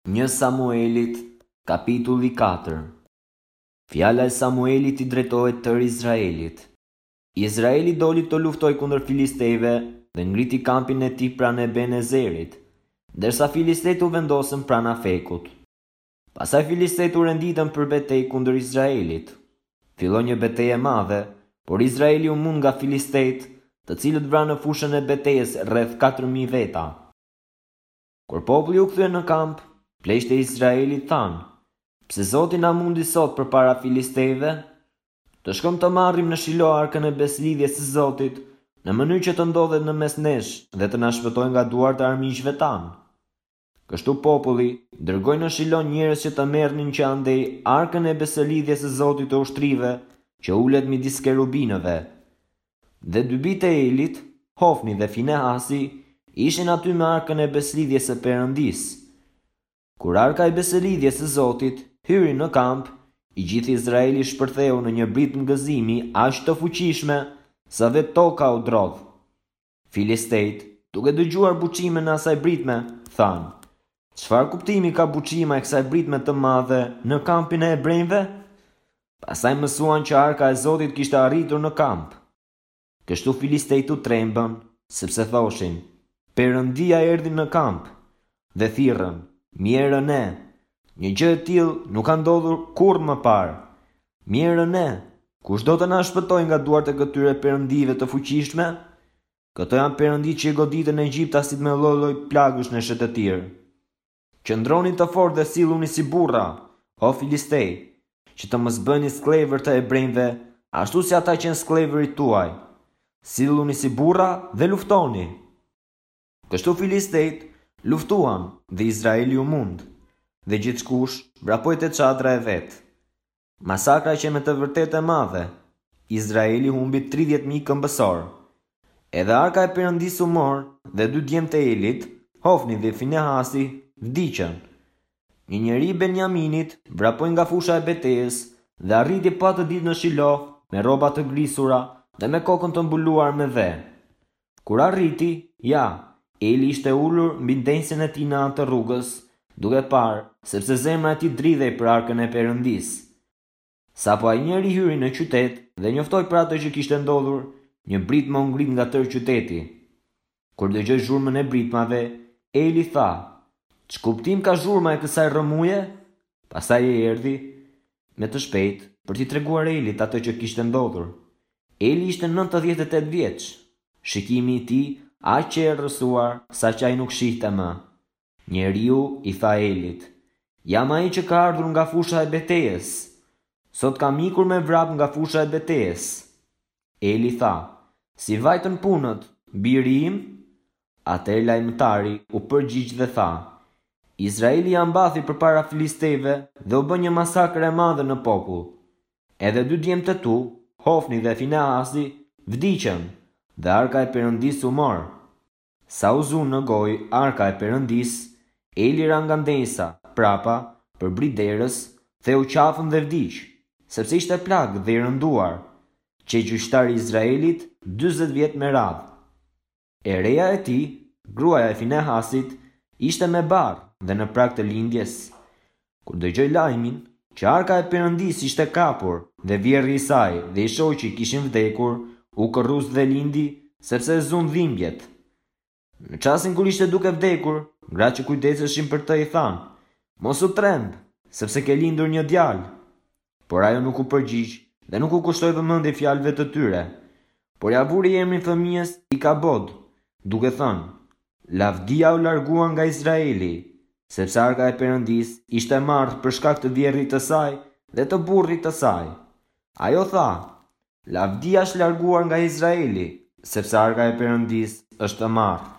Një Samuelit, kapitulli 4 Fjala e Samuelit i drejtohet tërë Izraelit. Izraeli doli të luftojë kundër filistejve dhe ngriti kampin e tij pranë Ebenezerit, ndërsa filistejtë u vendosën pranë Afekut. Pastaj filistejtë u renditën për betejë kundër Izraelit. Filloi një betejë e madhe, por Izraeli u mund nga filistejtë, të cilët vranë në fushën e betejës rreth 4000 veta. Kur populli u kthye në kamp, pleqtë e Izraelit thanë, Pse Zoti na mundi sot përpara filistejve? Të shkojmë të marrim në Shilo arkën e besëlidhjes së Zotit, në mënyrë që të ndodhet në mes nesh dhe të na shpëtojë nga duart e armiqve tanë. Kështu populli dërgoi në Shilo njerëz që të merrnin që andej arkën e besëlidhjes së Zotit të ushtrive, që ulet midis kerubinëve. Dhe dy bijtë e Elit, Hofni dhe Finehasi, ishin aty me arkën e besëlidhjes së Perëndisë. Kur arka e besëlidhjes së Zotit hyri në kamp, i gjithë Izraeli shpërtheu në një britmë gëzimi aq të fuqishme, sa vetë toka u drodh. Filistejtë, duke dëgjuar buçimën e asaj britme, thanë, Çfarë kuptimi ka buçima e kësaj britme të madhe në kampin e hebrenjve? Pastaj mësuan që arka e Zotit kishte arritur në kamp. Kështu filistejtë u trembën, sepse thoshin, Perëndia erdhi në kamp, dhe thirrën, Mjerë ne! Një gjë e tillë nuk ka ndodhur kurrë më parë. Mjerë ne! Kush do të na shpëtojë nga duart e këtyre perëndive të fuqishme? Këto janë perënditë që i goditën egjiptasit me lloj-lloj plagësh në shkretëtirë. Qëndroni të fortë dhe silluni si burra, o filistej, që të mos bëheni skllevër të hebrenjve, ashtu si ata qenë skllevërit tuaj. Silluni si burra dhe luftoni! Kështu filistejtë luftuan dhe Izraeli u mund, dhe gjithkush vrapoi te çadra e vet. Masakra qe me të vërtetë e madhe. Izraeli humbi 30.000 këmbësorë. Edhe arka e Perëndisë u mor dhe dy djemtë e Elit, Hofni dhe Finehasi, vdiqën. Një njeri i Benjaminit vrapoi nga fusha e betejës dhe arriti po atë ditë në Shilo me rroba të grisura dhe me kokën të mbuluar me dhe. Kur arriti, ja, Eli ishte ulur mbi ndenjësen e tij në anë të rrugës, duke parë, sepse zemra e tij dridhej për arkën e Perëndisë. Sapo ai njeri hyri në qytet dhe njoftoi për atë që kishte ndodhur, një britmë u ngrit nga tërë qyteti. Kur dëgjoi zhurmën e britmave, Eli tha, Ç'kuptim ka zhurma e kësaj rrëmuje? Pastaj ai erdhi me të shpejtë për t'i treguar Elit atë që kishte ndodhur. Eli ishte 98 vjeç. Shikimi i tij aq qe errësuar saqë ai nuk shihte më. Njeriu i tha Elit, Jam ai që ka ardhur nga fusha e betejës. Sot kam ikur me vrap nga fusha e betejës. Eli tha, Si vajtën punët, biri im? Atëherë lajmëtari u përgjigj dhe tha, Izraeli ia mbathi përpara filistejve dhe u bë një masakër e madhe në popull. Edhe dy djemtë e tu, Hofni dhe Finehasi, vdiqën, dhe arka e Perëndisë u mor. Sa u zu në gojë arka e Perëndisë, Eli ra nga ndenjësa, prapa, përbri derës, theu qafën dhe vdiq, sepse ishte plak dhe i rënduar. Qe gjyqtar i Izraelit 40 vjet me radhë. E reja e tij, gruaja e Finehasit, ishte me barrë dhe në prag të lindjes. Kur dëgjoi lajmin, që arka e Perëndisë ishte kapur dhe vjehrri i saj dhe i shoqi kishin vdekur, u kërrus dhe lindi, sepse e zunë dhimbjet. Në çastin kur ishte duke vdekur, gratë që kujdeseshin për të i thanë, Mos u tremb, sepse ke lindur një djalë. Por ajo nuk u përgjigj dhe nuk u kushtoi vëmendje fjalëve të tyre, por ia vuri emrin fëmijës Ikabod, duke thënë, Lavdia u largua nga Izraeli, sepse arka e Perëndisë ishte marrë për shkak të vjehrrit të saj dhe të burrit të saj. Ajo tha, Lavdia është larguar nga Izraeli, sepse arka e Perëndisë është marrë.